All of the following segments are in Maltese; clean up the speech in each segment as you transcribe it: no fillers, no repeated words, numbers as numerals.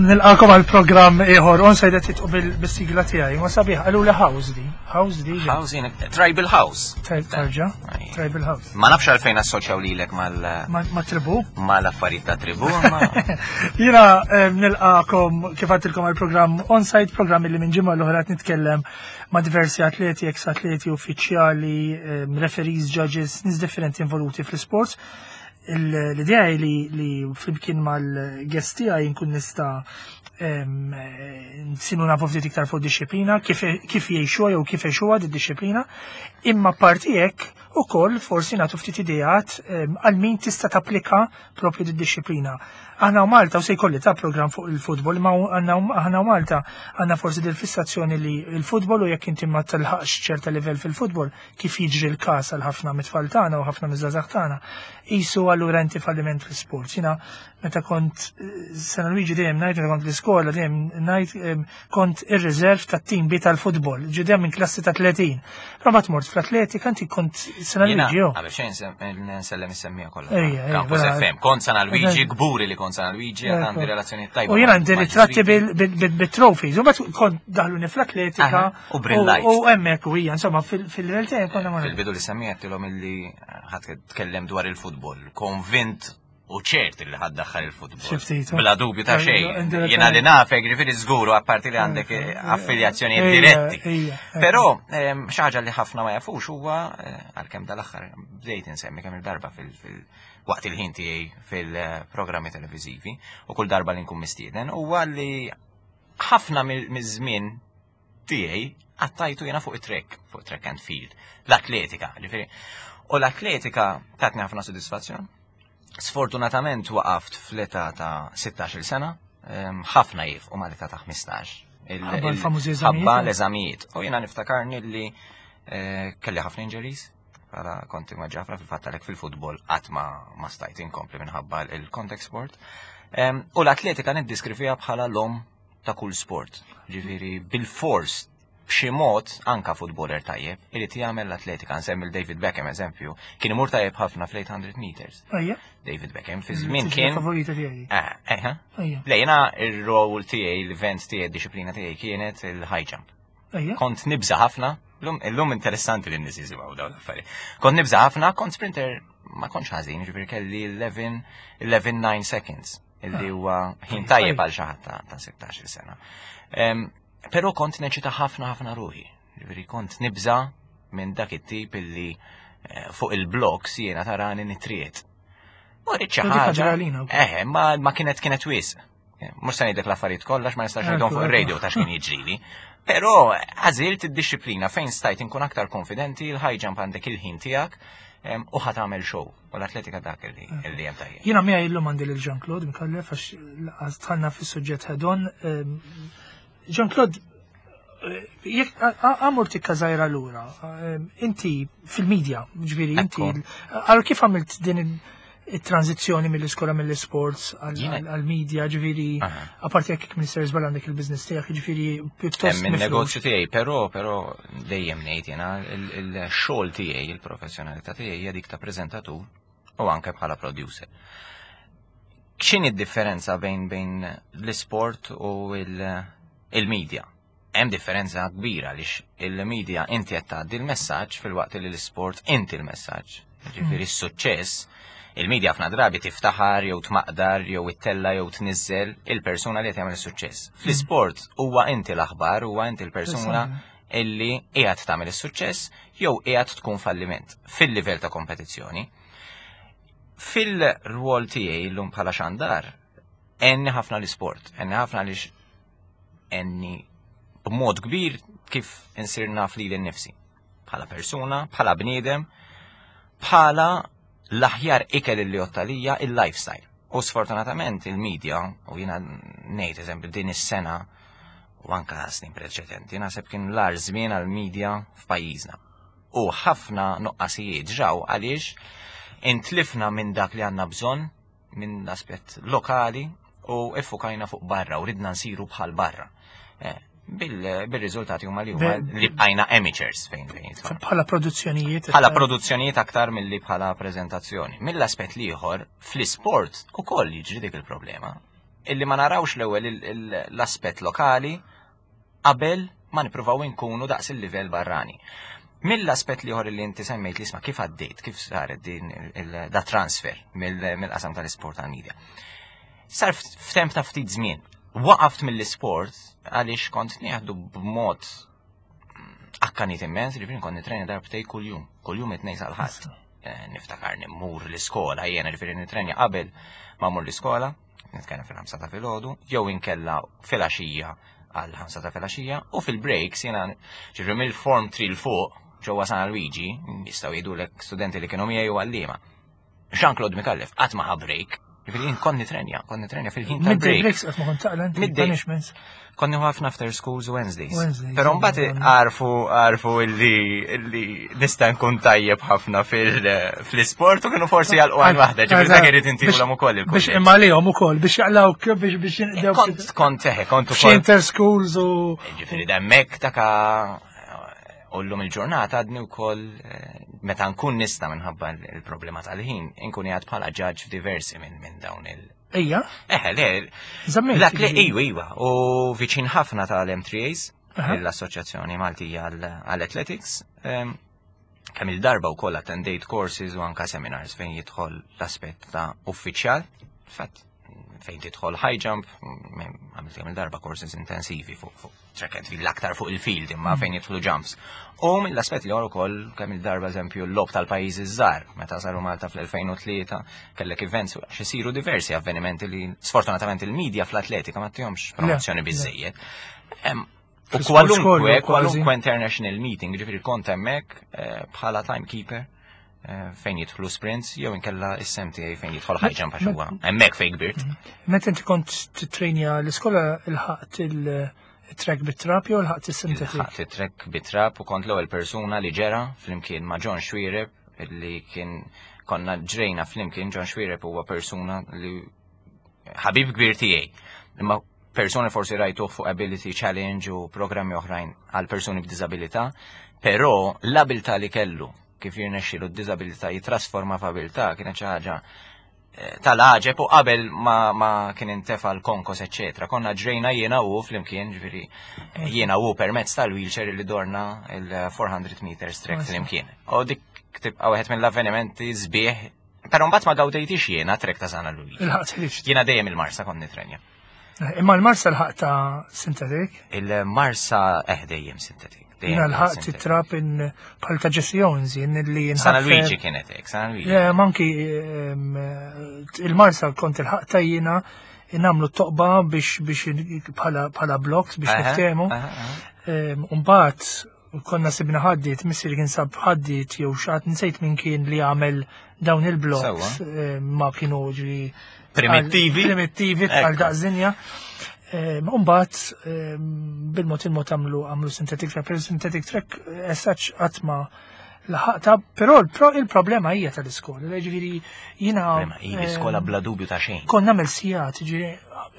Nilqakom għal programm ieħor on sajda titqu bil-sigla tiegħi, ma sabiħ qalu li house di. House di. House jien Tribal House. Tarġa, Tribal House. Ma nafx għalfejn assoċjaw lilek mal ma tribu. Mal-affarijiet ta' tribu, ma. Jiena eh, nilqakom kif għadtilkom għal programm on-site, programm li minn ġimgħa l-oħra nitkellem ma' diversi atleti, ex-atleti, uffiċjali, eh, referees, judges, nies differenti involuti fl-sports. L-idea li li flimkien mal-guest tiegħi nkun nista' nsinu nafu ftit iktar fuq disciplina, kif jgħixuha jew kif għexuha di disciplina, imma parti hekk ukoll forsi nagħtu ftit ideat għal min tista' tapplika propju di disciplina. Aħna u Malta u se jkolli ta' program fuq il-futbol, ma aħna u Malta għandna forsi dil-fissazzjoni li il-futbol u jekk inti ma tilħaqx ċerta livell fil-futbol, kif jiġri l-każ għal ħafna mit-tfal tagħna u ħafna miż-żgħażagħ tagħna, qisu allura inti falliment fl-isport. Jiena meta kont eh, San Luigi dejjem ngħid meta kont l-iskola dejjem ngħid eh, kont ir-reserve tat-tim bi tal-futbol, ġi dejjem minn klassi ta' 30. Però mbagħad mort fl-atletika inti kont San Luigi jo. Qabel xejn nsellem is-semmija kollha. Campus FM, kont San Luigi, gburi li kont San Luigi, għandi relazzjoni tajba. U jiena għandi ritratti bil-trophies, u mbagħad kont daħluni fl-atletika. U brillajt. U hemmhekk u hija, insomma, fil-realtà konna ma. Fil-bidu li semmiettilhom illi ħadd tkellem dwar il-futbol, konvint u ċert li ħad daħħal il-futbol. Bla dubju ta' xejn. Jiena li nafek, ġifieri żguru apparti li għandek affiljazzjoni diretti. Però xi ħaġa li ħafna ma jafux huwa eh, għalkemm dal-aħħar bdejt insemmi kemm il-darba fil waqt il-ħin tiegħi fil-programmi televiżivi u kull darba li nkun mistieden huwa li ħafna miż-żmien tiegħi għattajtu jiena fuq it-trek, fuq track and field, l-atletika, ġifieri. U l-atletika tatni ħafna sodisfazzjon. Sfortunatament waqaft fl-età ta' 16 sena, ehm, ħafna jif u mal-età ta' 15. Ħabba l-eżamijiet. U jiena niftakarni li eh, kelli ħafna injuries, bħala konti ma ġafra fil-fatt għalhekk fil-futbol qatt ma, ma stajt inkompli minħabba il-contact sport. Ehm, u l-atletika niddiskrivija bħala l-om ta' kull sport. Ġifieri bil-fors b'xi mod anka futboler tajjeb irid jagħmel l-atletika. Nsemmi David Beckham eżempju, kien imur tajjeb ħafna fl-800 meters. David Beckham fi żmien kien. Favorita tiegħi. Eh, eh, Le jiena ir-role tiegħi, l-event tiegħi, d-disciplina tiegħi kienet il-high jump. Kont nibża ħafna, illum interessanti li n-nies jisimgħu dawn l-affarijiet. Kont nibża ħafna, kont sprinter ma kontx ħażin, ġifieri kelli 11 11 seconds illi ah. huwa ħin tajjeb għal xi ħadd ta' 16 sena. Però kont neċita ħafna ħafna ruħi. Ġifieri kont nibża minn dak it-tip illi eh, fuq il-blogs jiena tarani nitriet. U rrid xi ħaġa. Eh, ma kienet kienet wisq. Eh, mhux se ngħidlek l-affarijiet kollha ma nistax ngħidhom fuq ir-radio ta' x'kien jiġrili. Però għażilt id-disciplina fejn stajt inkun aktar konfidenti, il-high jump għandek il-ħin tiegħek u ħa tagħmel show. U l-atletika dak li hemm tajjeb. Jiena miegħi llum għandi lil Jean-Claude Micallef għax dħalna fis-suġġett head-on. Jean-Claude, eh, jekk għamur tikka żgħira lura, inti fil-medja, ġifieri inti, għal kif għamilt din it-tranzizzjoni mill-iskola mill-sports għal-media, ġifieri, apparti jekk minister żball għandek il-business tiegħek, ġifieri pjuttost. Hemm negozju tiegħi, però però dejjem ngħid jiena il-xogħol tiegħi, il-professjonalità tiegħi hija dik ta' preżentatur u anke bħala producer. X'inhi d-differenza bejn bejn l-isport u il-media? Hemm differenza kbira għaliex il-media inti qed tgħaddi l-messaġġ filwaqt li l-isport inti l-messaġġ. Ġifieri s-suċċess il-media ħafna drabi tiftaħar jew tmaqdar jew ittella jew tniżżel il-persuna li qed jagħmel is-suċċess. Fl-isport huwa inti l-aħbar, huwa inti l-persuna illi qiegħed tagħmel is-suċċess jew qiegħed tkun falliment fil-livell ta' kompetizzjoni. Fil-rwol tiegħi llum bħala xandar, enni ħafna l-isport, enni ħafna għaliex enni b'mod kbir kif insir naf li l-nifsi. Bħala persuna, bħala bniedem, bħala l-aħjar ikel li jottalija il-lifestyle. U sfortunatament il-media, u jina ngħid eżempju din is-sena u anka snin preċedenti, naħseb kien l-ar żmien għal-media f'pajjiżna. U ħafna nuqqasijiet ġraw għaliex intlifna minn dak li għandna bżonn minn aspett lokali u iffukajna fuq barra u ridna nsiru bħal barra. Eh, bil-riżultati huma li huma li bqajna amateurs fejn fejn. Bħala produzzjonijiet. Bħala produzzjonijiet aktar milli bħala preżentazzjoni. Mill-aspett l-ieħor fl-isport ukoll jiġri dik il-problema. Illi ma narawx l-ewwel l-aspett lokali qabel ma nippruvaw inkunu daqs il-livell barrani. Mill-aspett l-ieħor li inti semmejt li isma' kif għaddejt, kif saret din da transfer mill-qasam tal-isport għal-media. Sar f'temp ta' ftit żmien. Waqaft mill-isport għaliex kont nieħdu b'mod akkanit immens, ġifieri kont nitrenja darbtej kuljum, kuljum it-tnejn sal-ħadd. Eh, niftakar nimmur l-iskola, jiena ġifieri nitrenja qabel ma mmur l-iskola, nitkellem fil-ħamsa ta' filgħodu, jew inkella filgħaxija għal ħamsa ta' filgħaxija, u fil-breaks jiena ġifieri mill-form 3 l fuq ġewwa San Luigi, jistgħu jgħidulek studenti li kienu miegħi u għalliema. Jean-Claude Micallef qatt ma ħa break, ġifieri jien kont nitrenja, kont nitrenja fil-ħin tal-break. Midday breaks qatt ma kont taqla inti punishments. Kont nieħu ħafna after schools u Wednesdays. Però mbagħad għarfu għarfu illi illi nista' nkun tajjeb ħafna fil-isport u kienu forsi jgħalqu għal waħda, ġifieri dak irid intihulhom ukoll il Biex imma lihom ukoll biex jaqlawk biex biex jinqdew. Kont kont eħe, kont ukoll. Inter schools u. Ġifieri demmek taka U llum il-ġurnata għadni wkoll eh, meta nkun nista' minħabba il-problema tal-ħin, inkun jgħad bħala ġaġġ f'diversi minn min dawn il- Ejja. Eħe, le. Dak li ejwa, ejwa. U viċin ħafna tal-M3As, l-Assoċjazzjoni Maltija għall-Athletics. Ehm, kemm il-darba wkoll attendejt courses u anka seminars fejn jidħol l-aspett ta' uffiċjal. Fatt, fejn tidħol high jump, għamilt kemm il-darba courses intensivi fuq fuq track and field l-aktar fuq il-field imma mm. fejn jidħlu jumps. U mill-aspett li ukoll kemm il-darba eżempju l-lob tal-pajjiżi żgħar meta saru Malta fl-2003 kellek events għax isiru diversi avvenimenti li sfortunatament il-medja fl-atletika ma tihomx promozzjoni biżejjed. U kwalunkwe, kwalunkwe international meeting, ġifiri kont hemmhekk eh, bħala timekeeper eh, fejn jidħlu sprints jew inkella is-sem tiegħi fejn jidħol high jump għax huwa hemmhekk fejn kbirt. Mhm. Meta inti kont titrejnja l-iskola il-ħaqt il-track bit-trap jew il-ħaqt is-synthetic? Il-ħaqt it-track bit-trap u kont l-ewwel persuna li ġera flimkien ma' John Xuereb li kien konna ġrejna flimkien John Xuereb huwa persuna li ħabib kbir tiegħi. Imma persuni forsi rajtuh fuq Ability Challenge u programmi oħrajn għal persuni b'diżabilità, però l-abilità li kellu kif jirnexxilu d-diżabilità jitrasforma f'abilità kienet xi ħaġa eh, tal-għaġeb u qabel ma, ma kien intefa l-konkos eċetera. Konna ġrejna jiena u flimkien, ġifieri eh, jiena u permezz tal-wheelchair li dorna il-400 meters track flimkien. U dik tibqa' wieħed mill-avvenimenti sbieħ Però mbagħad ma gawdejtix jiena trek ta' Sana Luigi. Jiena dejjem il-Marsa kont nitrenja. Eh, imma l-Marsa l-ħaq ta' sintetik? Il-Marsa eh dejjem sintetik. Jiena l-ħaq titrap in bħal ta' Jesse Owens jien li Sana Luigi kienet hekk, Sana Luigi. Eh, manki il-Marsa kont il-ħaq ta' jiena namlu toqba biex biex bħala blocks biex niftehmu. Mbagħad konna sibna ħaddiet, missieri kien sab ħaddiet jew xaħat nsejt minn kien li għamel dawn il-blocks eh, ma kienu ġri primittivi. Primittivi għal daqżinja. Eh, Umbat, eh, bil-mod il-mod għamlu għamlu synthetic track, pero synthetic track essaċ għatma laħaqta, pero il-problema hija tal-iskola, ġifieri jiena. L-iskola bla dubju ta' xejn. Konna nagħmel sigħat, ġifieri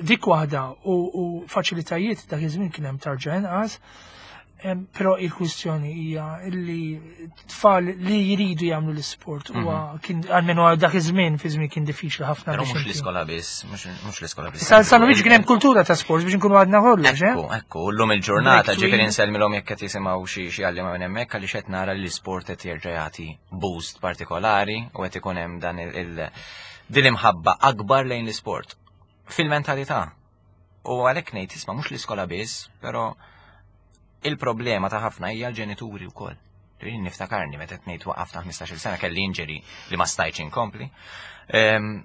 dik waħda u faċilitajiet dak iż-żmien kien hemm tarġa inqas. Però il-kwistjoni hija li tfal li jridu jagħmlu l-isport huwa mhm. kien għalmenu dak iż-żmien fi żmien kien diffiċli ħafna. Però mhux l-iskola biss, mhux l-iskola biss. Sal sanu biex kien hemm kultura ta' sport biex nkunu għadna kollox, eh? Ekku, ekku, llum il-ġurnata ġifieri nsellmilhom jekk qed jisimgħu xi xi għalliema minn hemmhekk għaliex qed nara li l-isport qed jerġa' jagħti boost partikolari u qed ikun hemm dan il din imħabba akbar lejn l-isport. Fil-mentalità. U għalhekk ngħid isma' mhux l-iskola biss, però il-problema ta' ħafna hija l-ġenituri wkoll. Jien niftakarni meta qed ngħid waqaf ta' 15-il sena kelli injury li ma stajtx inkompli. Ehm,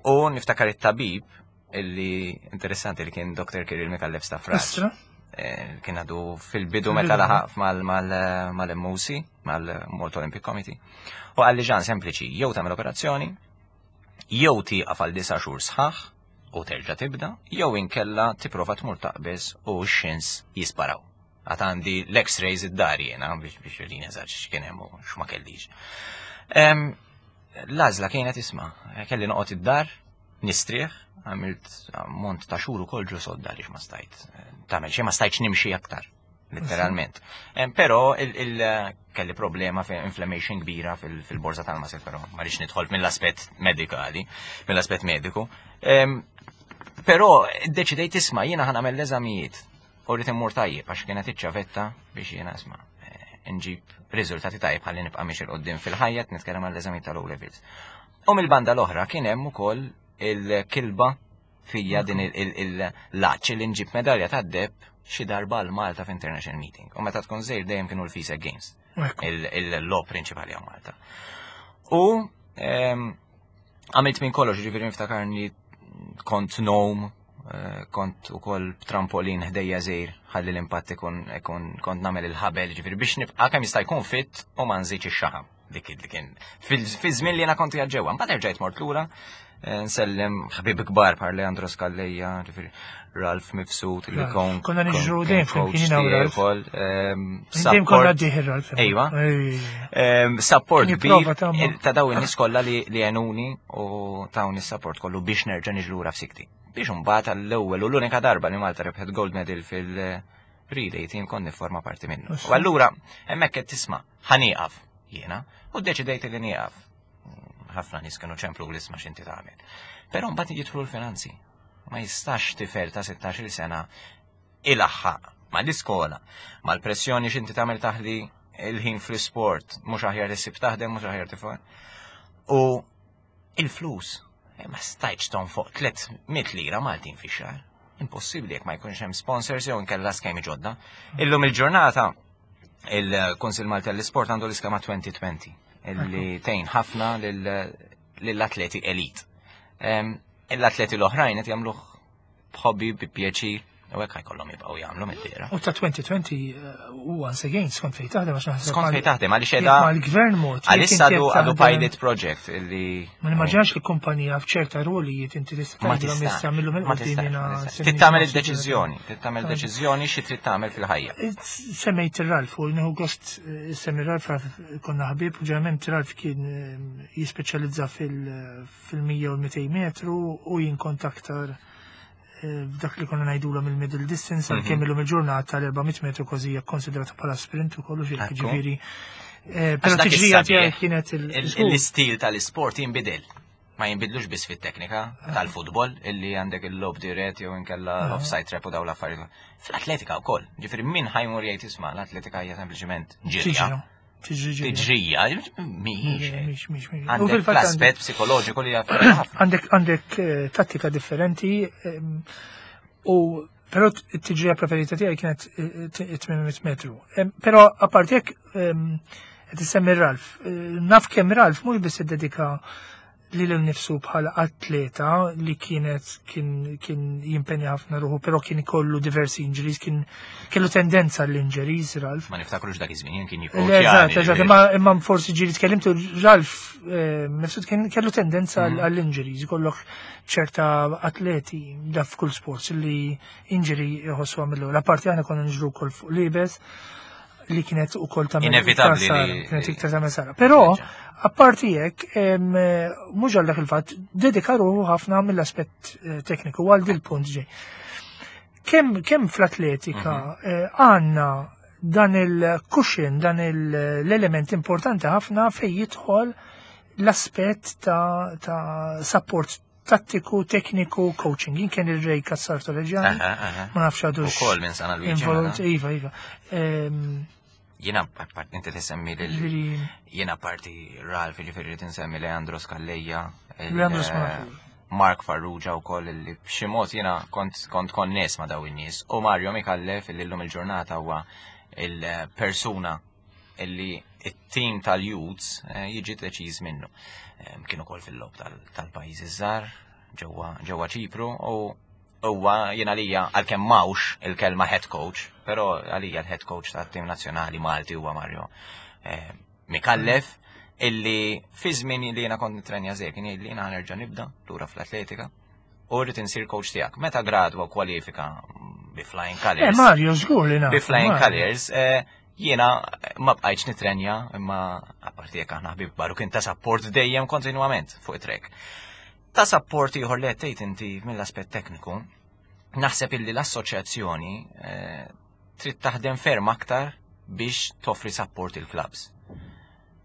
u niftakar it-tabib illi interessanti li kien Dr. Kiril Mikallef Stafraġ. Eh, kien għadu fil-bidu meta laħaq mal-MOC, mal-Malta Olympic Committee. U għalli ġan sempliċi, jew tagħmel operazzjoni, jew tieqaf għal disa' xhur sħaħ u terġa' tibda, jew inkella tipprova tmur taqbeż u x-xins jisparaw. Għad għandi l-x-rays id-dar jiena biex biex jurini eżatt x'kien hemm u x'ma kellix. L-għażla kienet isma' kelli noqgħod id-dar, nistrieħ, għamilt mont ta' xhur ukoll ġo sodda għaliex ma stajt tagħmel xejn ma stajtx nimxi aktar letteralment. Però kelli problema fi inflammation kbira fil-borza tal-muscle, però ma rridx nidħol mill-aspett medikali, mill-aspett mediku. Però ddeċidejt isma' jiena ħa nagħmel l-eżamijiet u rrid immur tajjeb għax kienet iċ-ċavetta biex jiena isma' eh, nġib riżultati tajjeb ħalli nibqa' miex il-qoddim fil-ħajja nitkellem għall-eżamijiet tal-O levels. U mill-banda l-oħra kien hemm ukoll il-kilba fija din il-laċ li nġib medalja tad-deb xi darba l Malta f'International Meeting. U meta tkun żejr dejjem kienu l-FISA Games, il-law prinċipali għaw Malta. U ehm, għamilt minn kollox, ġifieri niftakarni kont nom, eh, kont ukoll trampolin ħdejja żejr ħalli l-impatt ikun kont nagħmel il-ħabel, ġifieri biex nibqa' kemm jista' jkun fit u ma nżidx ix-xaħam. Dik li kien fi żmien li jiena kont qiegħed ġewwa. Mbagħad erġajt mort lura eh, nsellem ħbib kbar par Leandro Skalleja, ġifieri Ralf Mifsud li kon. Konna niġru dejjem flimkien jiena u Ralf. Ehm, dejjem konna dieħ Ralf. Ejwa. Ehm, support kbir ta' daw in-nies kollha li għenuni u tawni support kollu biex nerġa' niġi lura f'sikti. Biex imbagħad għall-ewwel u l-unika darba li Malta rebħet gold medal fil- relay team kont nifforma parti minnu. U allura hemmhekk qed tisma' ħa nieqaf jiena u ddeċidejt li nieqaf. Ħafna nies kienu ċemplu l isma' x'inti tagħmel. Però mbagħad jidħlu l-finanzi. Ma jistax tifel ta' 16-il sena ilaħħaq mal-iskola, mal-pressjoni x'inti tagħmel taħli il-ħin fl-isport, mhux aħjar issib taħdem, mhux aħjar tifel. U il-flus, eh, ma stajtx tonfoq 300 lira Maltin fi xahar. Impossibbli jekk ma jkunx hemm sponsors jew inkella skemi ġodda. Illum il-ġurnata il-Kunsil Malti għall-Isport għandu l-iskema 2020 illi tgħin ħafna lill-atleti elit. L-atleti l-oħrajn qed jagħmluh b'hobby, bi pjaċir, u hekk ħajkollhom jibqgħu jagħmlu mid-dira. U ta' 2020 eh, u once again skont fejn taħdem għax naħseb. Skont fejn taħdem għaliex qiegħda. Mal-gvern mod. Għalissa għadu għadu pilot project illi. Ma nimmaġinax li kumpanija f'ċerta rolijiet inti tista' tgħidilhom issa minnhom il-qudiem jiena. Trid tagħmel id-deċiżjoni, trid tagħmel deċiżjoni xi trid tagħmel fil-ħajja. Eh, semmejt ir-Ralf u nieħu gost eh, semmi Ralf konna ħbieb u ġeneralment Ralf kien jispeċjalizza fil-100 u l-200 metru u jien kont aktar eh, f'dak li konna ngħidulhom il-middle distance għal kemm mhm. illum il-ġurnata l-400 metru kważi hija konsidrata bħala sprint ukoll ġifieri. Eh, però tiġrija tiegħi kienet l-istil tal-isport jinbidel. Ma jinbidlux biss fit-teknika ah. tal-futbol illi għandek il-lob dirett jew inkella ah. l-offside trap u daw l-affarijiet. Fl-atletika wkoll, ġifieri min ħajmur jgħid isma' l-atletika hija sempliċement ġirja. Tiġrija, mhijiex. Għandek l-aspett psikoloġiku li Għandek għandek eh, tattika differenti u però t-tiġrija preferita tiegħi kienet 800 eh, metru. Però apparti hekk qed issemmi Ralf. Eh, naf kemm Ralf mhux biss iddedika lilu nnifsu bħala atleta li kienet kien, kien jimpenja ħafna ruħu, però kien ikollu diversi injuries, kien kellu tendenza l-injuries, Ralf. Ma niftakrux dak iż-żmien kien jikkoċja. Eżatt, eżatt, imma imma forsi ġieli tkellimtu Ralf eh, mifsud kien kellu tendenza mm. għall-injuries, ikollok ċerta atleti da f'kull sports li injury jħossu għamillu. La parti aħna konna nġru wkoll fuq libes li kienet ukoll ta' inevitabbli kienet iktar ta' sara. Però apparti hekk mhux għal dak il-fatt dedika ruħu ħafna mill-aspett eh, tekniku għal dil punt ġej. Kemm kemm fl-atletika mhm. eh, għandna dan il-cushion, dan l-element importanti ħafna fej jidħol l-aspett ta', ta support tattiku, tekniku, coaching. Jien kien il-Ray Kassar Torreġani, ma nafx għadu. Ukoll minn San Luigi. Involut, iva, iva. Ehm, jiena part inti tisemmi lil jiena parti Ralf, ġifieri tinsemmi Leandro Scalleja. Leandro Scalleja. Mark Farrugia u koll li b'xi mod jiena kont kont konnes ma' daw in-nies u Mario Mikallef li llum il-ġurnata huwa il-persuna illi it-tim tal-Youths eh, jiġi deċiż minnu. Kien ukoll fil-lob tal-pajjiżi żgħar ġewwa Ċipru u huwa jien għalija għalkemm mawx il-kelma head coach, però għalija l-head coach tat-tim nazzjonali Malti huwa Mario eh, Mikallef illi fi żmien li jiena kont nitrenja żejr kien jgħid li jiena nerġa' nibda lura fl-atletika u rrid insir coach tiegħek. Meta gradwa kwalifika bi flying colors. Eh, Mario, żgur li Bi flying colors, eh, jiena ma bqajtx nitrenja imma apparti jekk aħna ħbib baru kien ta' support dejjem kontinwament fuq it-trek. Ta' support ieħor li qed tgħid inti mill-aspett tekniku, naħseb illi l-assoċjazzjoni eh, trid taħdem ferm aktar biex toffri support il-clubs.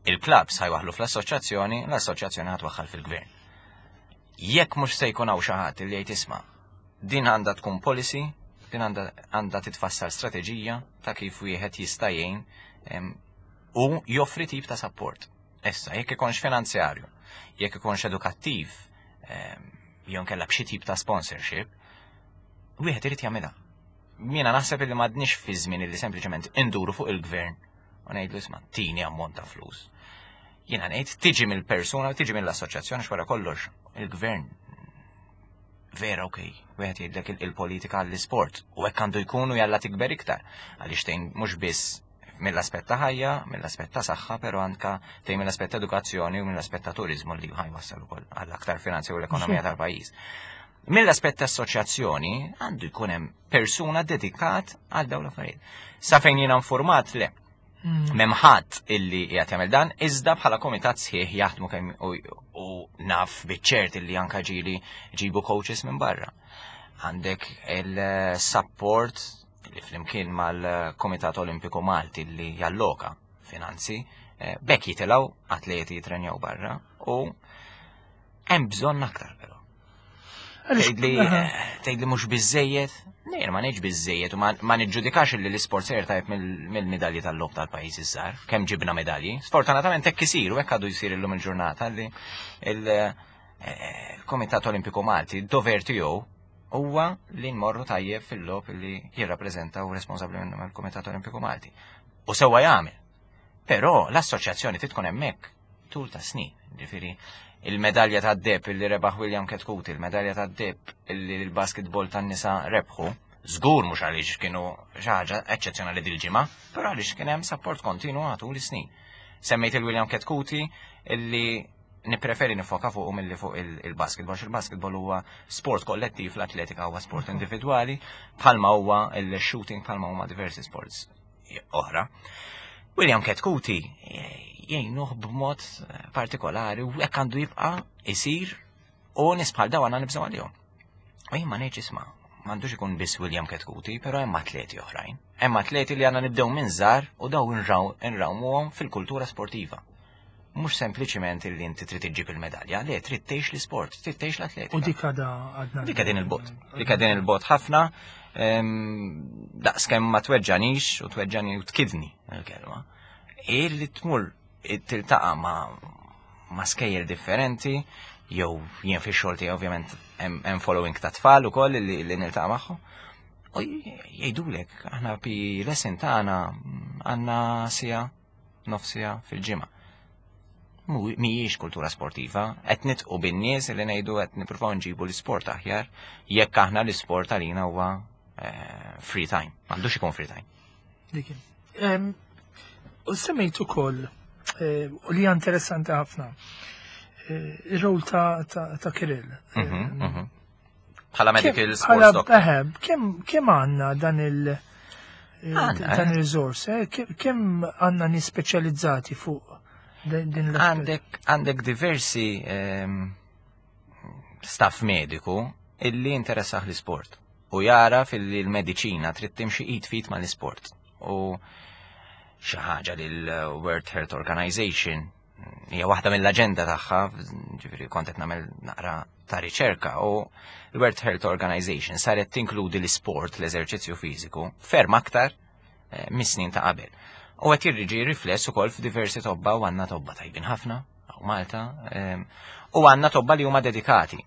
Il-clubs ħajwaħlu fl-assoċjazzjoni, l-assoċjazzjoni ħatwaħħal fil-gvern. Jekk mhux se jkun hawn xi ħadd li jgħid isma' Din għandha tkun policy, din għandha titfassal strateġija ta' kif wieħed jista' jgħin u joffri tip ta' support. Issa, jekk ikunx finanzjarju, jekk ikunx edukattiv, jew nkella b'xi tip ta' sponsorship, wieħed irid jagħmilha. Jiena naħseb li m'għadniex fi żmien li sempliċement induru fuq il-gvern u ngħidlu isma' tini ammont ta' flus. Jiena ngħid tiġi mill-persuna, tiġi mill-assoċjazzjoni x'wara kollox il-gvern vera ok, wieħed jgħidlek il-politika għall-isport u hekk għandu jkunu jalla tikber iktar għaliex tgħin mhux biss mill-aspett ta' ħajja, mill-aspett ta' saħħa, però anka tgħin mill-aspett ta' edukazzjoni u mill-aspett ta' turizmu li ħajwassal ukoll għall aktar finanzi u l-ekonomija tal-pajjiż. Mill-aspett ta' assoċjazzjoni għandu jkun hemm persuna dedikat għal dawn l-affarijiet. Sa fejn jiena informat le. M'hemm ħadd illi qiegħed jagħmel dan, iżda bħala komitat sħiħ jaħdmu kemm u naf biċ-ċert illi anka ġieli ġibu coaches minn barra. Għandek il-support li flimkien mal-Komitat Olimpiku Malti li jalloka finanzi, eh, bekk jitilgħu atleti jitrenjaw barra u hemm bżonn aktar però. Tgħidli eh, tgħidli mhux biżejjed, nejn ma ngħidx biżejjed u ma niġġudikax li l-isport sejjer tajb mill-midalji tal-logħob tal-pajjiż iż-żgħar, kemm ġibna medalji. Sfortunatament hekk isir u hekk għadu jsir illum il-ġurnata li eh, il-Komitat Olimpiku Malti d-dover tiegħu huwa li nmorru tajjeb fil-logħob li jirrappreżenta u responsabbli minnhom il-Kumitat Olimpiku Malti. U sewwa jagħmel. Però l-assoċjazzjoni trid tkun hemmhekk tul ta' snin. Ġifieri, il-medalja ta' deb illi rebaħ William Ketkuti, il-medalja ta' deb illi l-basketball tan-nisa rebħu, żgur mhux għaliex kienu xi ħaġa eċċezzjonali dil-ġimgħa, però għaliex kien hemm support kontinu għatu l-snin. Semmejt il-William Ketkuti illi nippreferi nifoka fuq milli fuq il-basketball, il-basketball huwa sport kollettiv, l-atletika huwa sport individwali, bħalma huwa il-shooting, bħalma huma diversi sports oħra. William Ketkuti jgħinuh b'mod partikolari u hekk għandu jibqa' isir u nies bħal dawn għandna nibżgħu għalihom. U jien ma ngħidx isma' m'għandux ikun biss William Ketkuti, però hemm atleti oħrajn. Hemm atleti li għandna nibdew minn żgħar u daw nrawmuhom fil-kultura sportiva. Mhux sempliċiment illi inti trid iġġib il-medalja, le trid tgħix l-isport, trid tgħix l-atletika. U dik għadha għadna. Dik din il-bot. Dik din il-bot ħafna daqskemm ma tweġġanix u tweġġani u tkidni il-kelma. Illi tmur tiltaqa' ma' ma' skejjel differenti, jew jien fix-xogħol tiegħi ovvjament hemm following ta' tfal ukoll li, li niltaqa' magħhom. U jgħidulek, aħna pi lesson tagħna għandna sija nofsija fil-ġimgħa. Mhijiex kultura sportiva, qed nitqu bin-nies li ngħidu qed nippruvaw nġibu l-isport aħjar jekk aħna l-isport għalina huwa eh, free time. M'għandux ikun free time. Dik. U semmejt ukoll eh, u li interessanti ħafna eh, ir-rol ta' Kirill. Mhm, mhm. Bħala medical sports doctor. Kemm għandna dan il- dan il-resource, eh? kemm għandna nies speċjalizzati fuq din l Għandek għandek diversi ehm, staff mediku illi interessaħ l-isport u jara fil l-mediċina trid timxi id fit ma l-isport. U xi ħaġa li l-World Health Organization hija waħda mill-aġenda tagħha, ġifieri kont qed nagħmel naqra ta' riċerka u l-World Health Organization saret tinkludi l-isport, l-eżerċizzju fiżiku, ferm aktar eh, mis-snin ta' qabel. U qed jirriġi rifless ukoll f'diversi tobba u għandna tobba tajbin ħafna u Malta ehm, u għandna tobba li huma dedikati.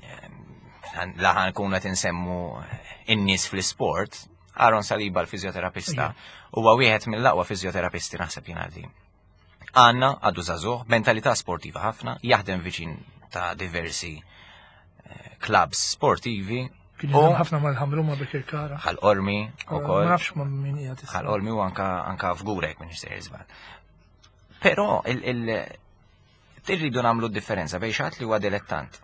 Ehm, Laħan nkunu qed insemmu in-nies fl-isport, Aaron Saliba l-fizjoterapista huwa wieħed mill-aqwa fizjoterapisti naħseb jien għalli. Għanna għadu żagħżugħ, mentalità sportiva ħafna, jaħdem viċin ta' diversi eh, clubs sportivi. Kien jaħdem ħafna mal-ħamru ma' Birkirkara. Ħal-Qormi ukoll. Ma nafx ma' min qiegħed. Ħal-Qormi u anka anka f'Gurek minn sejjer żball. Però il irridu nagħmlu differenza bejn xi li huwa dilettant.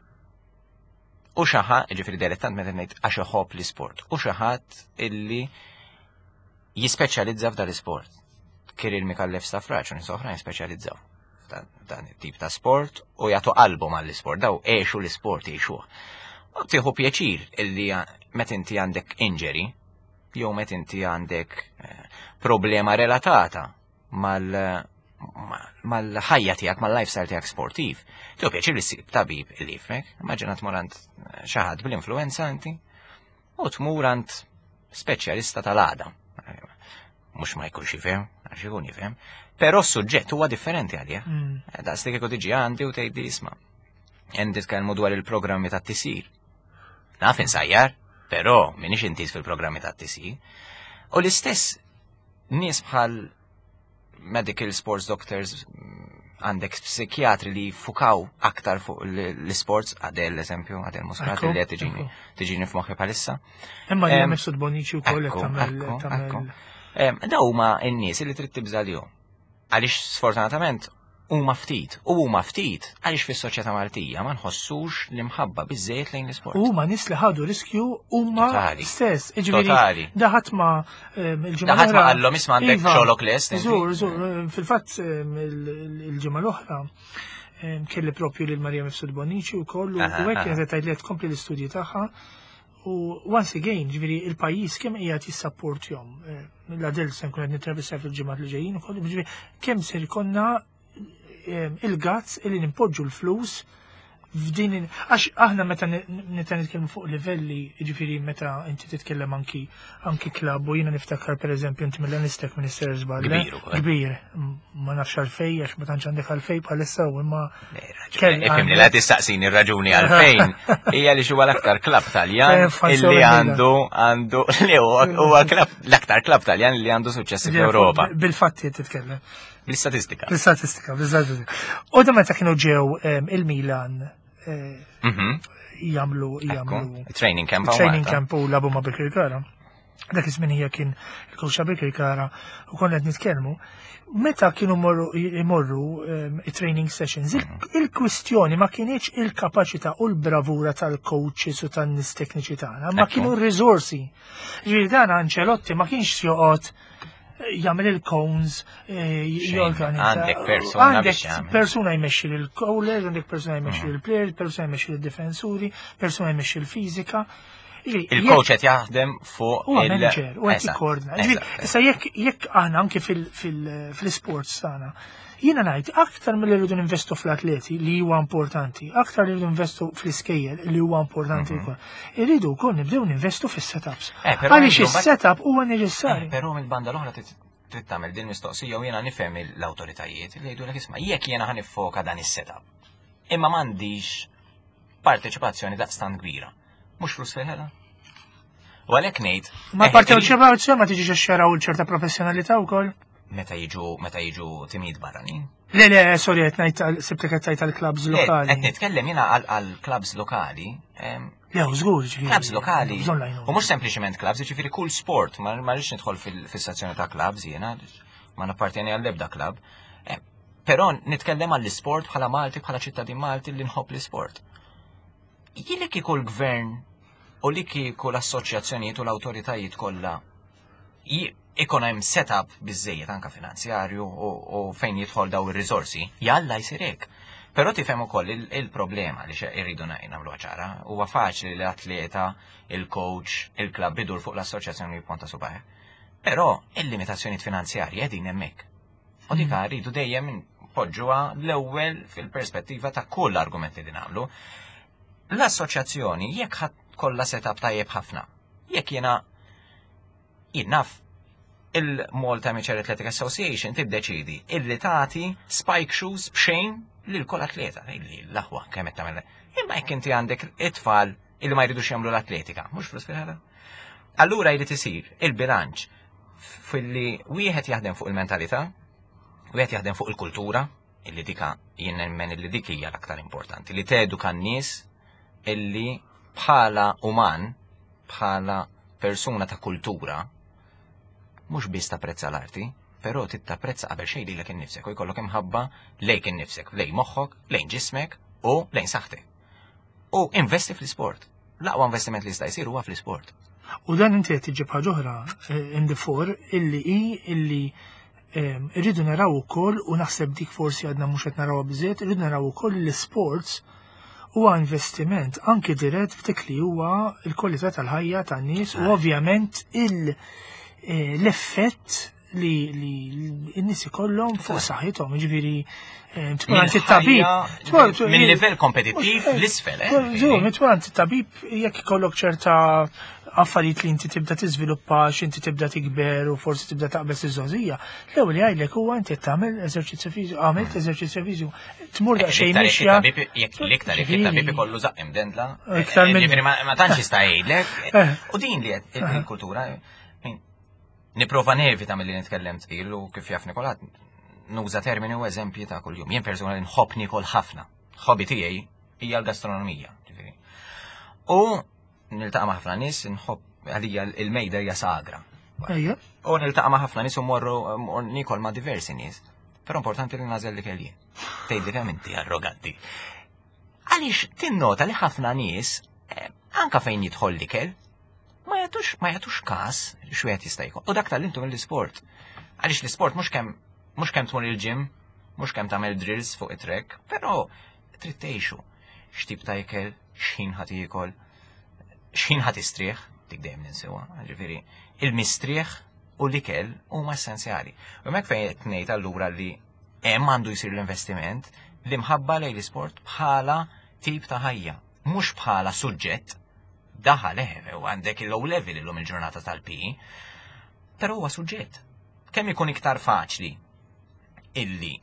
U xi ħadd, ġifieri dilettant meta ngħid għax iħobb l-isport, u xi ħadd illi jispeċjalizza f'dan l-isport. Kiril Mikallef Stafraċ u nies oħrajn speċjalizzaw dan it-tip ta' sport u jagħtu qalbhom għall-isport, daw għexu l-isport jgħixuh. U tieħu pjaċir illi meta inti għandek injury jew meta inti għandek eh, problema relatata mal mal-ħajja tiegħek, mal-lifestyle tiegħek sportiv. Tieħu pjaċir li ssib tabib li jifmek, immaġina tmur għand xi ħadd bl-influenza inti. U tmur għand speċjalista tal-għadam. Mhux ma jkunx jifhem, għax ikun jifhem, però s-suġġett huwa differenti għalih. Daqs li kieku tiġi għandi u tgħidli isma'. Hemm titkellmu dwar il-programmi tat-tisir. Naf insajjar, però m'iniex intiż fil-programmi tat-tisir. U l-istess nies bħal medical sports doctors għandek psikjatri li fukaw aktar fuq l-sports, Adel eżempju, Adel Muscat li qed tiġini tiġini f'moħħi bħalissa. Imma li Mifsud Bonici wkoll qed tagħmel. Daw huma n-nies li trid tibża' lihom. Għaliex sfortunatament huma ftit, u huma ftit għaliex fis-soċjetà Maltija ma nħossux l-imħabba biżejjed lejn l-isport. Huma nies li ħadu riskju huma stess. Jiġifieri daħat ma il-ġimgħa. Daħat ma qallhom isma' għandek iva. xogħlok lest. Żur, żur, fil-fatt il-ġimgħa l-oħra kelli propju lil Marija Mifsud Bonici wkoll u hekk kienet tgħid li tkompli l-istudji tagħha. U once again, ġifieri il-pajjiż kemm qiegħed jissapportjhom. Eh, l-Adel se nkun qed nittraversa fil-ġimgħat li ġejjin ukoll, ġifieri kemm ser ikonna eh, il-gazz illi nimpoġġu l-flus f'din għax aħna meta meta nitkellmu fuq livelli, ġifieri meta inti titkellem anki anki klabb u jiena niftakar pereżempju inti mill-Anistek Minister żball. Kbir ukoll. Kbir, ma nafx għalfej għax ma tantx għandek għalfej bħalissa u imma Ifhimni la tistaqsini r-raġuni għalfejn hija li huwa l-aktar klabb Taljan illi għandu għandu li huwa l-aktar klabb Taljan li għandu suċċessi fl-Ewropa. Bil-fatti titkellem. Bl-istatistika. Bl-istatistika, bl-istatistika. U da meta kienu ġew il-Milan jagħmlu jagħmlu training camp training camp u labu ma' Birkirkara. Dak iż-żmien hija kien il-coach ta' Birkirkara u konna qed nitkellmu. Meta kienu imorru it-training sessions, il-kwistjoni ma kienieċ il-kapaċità u l-bravura tal-coaches u tan-nies tekniċi tagħna, ma kienu r-riżorsi. Ġifieri dan Ancelotti ma kienx joqgħod jagħmel il-cones, eh, jorganizza. Għandek persuna Għandek persuna jmexxi l-callers, għandek persuna jmexxi mm. l-players, persuna jmexxi l-difensuri, persuna jmexxi l-fiżika. Il-coach qed jaħdem fuq il manager u qed jikkoordina. Issa jekk jekk aħna anke fil-sports tagħna, jiena ngħid aktar milli rridu ninvestu fl-atleti li huwa importanti, aktar li rridu ninvestu fl-iskejjel li huwa importanti mhm. wkoll. Irridu wkoll nibdew ninvestu fis-setups. Eh, Għaliex is-setup huwa neċessarju. Eh, però mill-banda l-oħra trid tagħmel din mistoqsija u jiena nifhem l-awtoritajiet li jgħidulek isma' jekk jiena ħanifoka dan is-setup. Imma m'għandix parteċipazzjoni daqstant kbira. Mhux flus fil-ħela. U għalhekk ngħid. Ma eh, parteċipazzjoni ma tiġix xeraw ċerta professjonalità wkoll? Meta jiġu meta jiġu timijiet barranin. Le, le, sorry, qed ngħid sibtek qed tgħid għall-klabs lokali. Qed nitkellem jiena għall-klabs lokali. Le, żgur, ġifieri. Klabs lokali. U mhux sempliċement klabs, ġifieri kull sport, ma rridx nidħol fis-sezzjoni ta' klabs jiena, ma nappartjeni għall-ebda klab. Però nitkellem għall-isport bħala Malti, bħala ċittadin Malti li nħobb l-isport. Jien li kieku l-gvern u li kieku l-assoċjazzjonijiet u l-awtoritajiet kollha ikun hemm setup biżejjed anka finanzjarju u fejn jidħol daw ir-riżorsi, jalla jsir hekk. Però tifhem ukoll il-problema li irridu nagħmlu ċara, huwa faċli li l-atleta, il-coach, il-klabb idur fuq l-assoċjazzjoni jipponta subajh. Però il-limitazzjonijiet finanzjarji qegħdin hemmhekk. U dik mm. rridu dejjem poġġuha l-ewwel fil-perspettiva ta' kull argument li nagħmlu. L-assoċjazzjoni jekk ħadd kollha setup tajjeb ħafna. Jekk jiena jien naf il-Malta Amateur Athletic Association tiddeċidi illi tagħti spike shoes b'xejn lil kull atleta. Illi l-aħwa kemm qed tagħmel. Imma jekk inti għandek it-tfal illi ma jridux jagħmlu l-atletika, mhux flus fil-ħela. Allura jrid isir il-bilanċ filli wieħed jaħdem fuq il-mentalità, wieħed jaħdem fuq il-kultura, illi dika jien nemmen illi dik hija l-aktar importanti, li teduka n-nies illi bħala uman, bħala persuna ta' kultura, mhux biss tapprezza l-arti, però titapprezza qabel xejn lilek innifsek u jkollok imħabba lejk innifsek, lejn moħħok, lejn ġismek u lejn saħħtek. U investi fl-isport. L-aqwa investiment li jista' jsir huwa fl-isport. U dan inti qed tiġib ħaġa oħra eh, in the four illi hi illi ehm, irridu naraw ukoll u naħseb dik forsi għadna mhux qed narawha biżejjed, irridu naraw ukoll l-isports huwa investiment anki dirett f'dik li huwa l-kwalità tal-ħajja tan-nies u ovvjament eh, l-effett li n-nies ikollhom fuq saħħithom, jiġifieri eh, tmur għand it-tabib. Minn livell kompetittiv eh, l-isfel. Eh? Żur, tmur għand it-tabib jekk ikollok ċerta affarijiet li inti tibda tiżviluppa x'inti tibda tikber u forsi tibda taqbeż iż-żgħożija. L-ewwel li jgħidlek huwa inti tagħmel eżerċizzju fiżiku, għamilt eżerċizzju fiżiku, tmur daqsxejn mixja. Jekk l-iktar jekk it-tabib ikollu żaqq imdendla, iktar minn ma tantx jista' jgħidlek. Eh. U din li qed il-kultura nipprova nevita milli nitkellem tqil u kif jaf Nikolat nuża termini u eżempji ta' kuljum. Jien personali nħobb nikol ħafna. Hobby tiegħi hija l-gastronomija. U niltaqa' ma' ħafna nies, nħobb għalija il-mejda hija sagra. Ejja. U niltaqa' ma' ħafna nies u morru nikol ma' diversi nies. Però importanti li nażel li kelli. Tgħidli kemm inti arroganti. Għaliex tinnota li ħafna nies eh, anka fejn jidħol l-ikel, ma jagħtux ma jagħtux każ x'wieħed jista' jkun. U dak tal-intu mill-isport. Għaliex l-isport mhux kemm mhux kemm tmur il-gym, mhux kemm tagħmel drills fuq it-trek, però trid tgħixu. X'tip ta' ikel, x'ħin ħa tiekol, x'ħin ħa tistrieħ, dik dejjem ninsiwa, ġifieri il-mistrieħ u l-ikel huma essenzjali. U hemmhekk fejn qed ngħid allura li hemm għandu jsir l-investiment l-imħabba lejn l-isport bħala tip ta' ħajja, mhux bħala suġġett daħal eħe u għandek il-low level illum il-ġurnata tal-PE, però huwa suġġett. Kemm ikun iktar faċli illi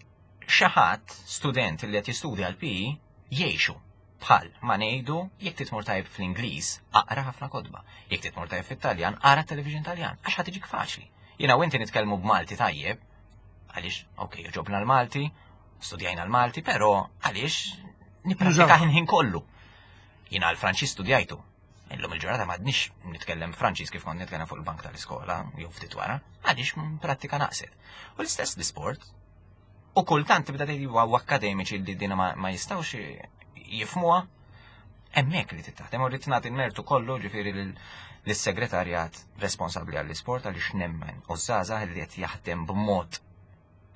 xi ħadd student li qed jistudja l-PE jgħixu bħal ma ngħidu jekk titmur tajb fl-Ingliż, aqra ħafna kotba. Jekk titmur tajb fit-Taljan, ara television Taljan, għax ħa tiġik faċli. Jiena u inti nitkellmu b'Malti tajjeb, għaliex, ok, ġobna l-Malti, studjajna l-Malti, però għaliex nipprattika ħin kollu. Jiena l-Franċiż studjajtu. Illum il-ġurnata m'għadniex nitkellem Franċiż kif kont nitkellem fuq il-bank tal-iskola, jew ftit wara, għaliex prattika naqset. U l-istess l-isport, U kultant tibda tgħid huwa akkademiċi li dina ma jistgħux jifmuha. Hemmhekk li titaħdem u rrid nagħti l-mertu kollu ġifieri lis-segretarjat responsabbli għall-isport għaliex nemmen u żgħażagħ li qed jaħdem b'mod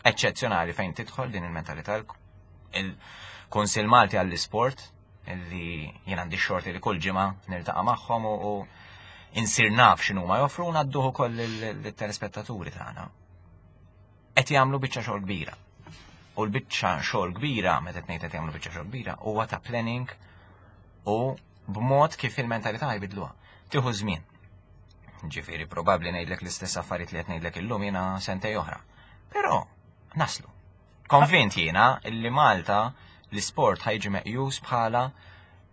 eċċezzjonali fejn tidħol din il-mentalità il-Kunsill Malti għall-Isport li jien għandi xorti li kull ġimgħa niltaqa' magħhom u insir naf x'inhuma joffru ngħadduh ukoll lit-telespettaturi tagħna. qed jagħmlu biċċa xogħol kbira. U l-biċċa xogħol kbira, meta qed ngħid qed jagħmlu biċċa xogħol kbira, huwa ta' planning u b'mod kif il-mentalità jbidluha. Tieħu żmien. Ġifieri probabbli ngħidlek l-istess affarijiet li qed ngħidlek illum jiena sentej oħra. Però naslu. Konvint jiena li Malta l-isport ħajġi meqjus bħala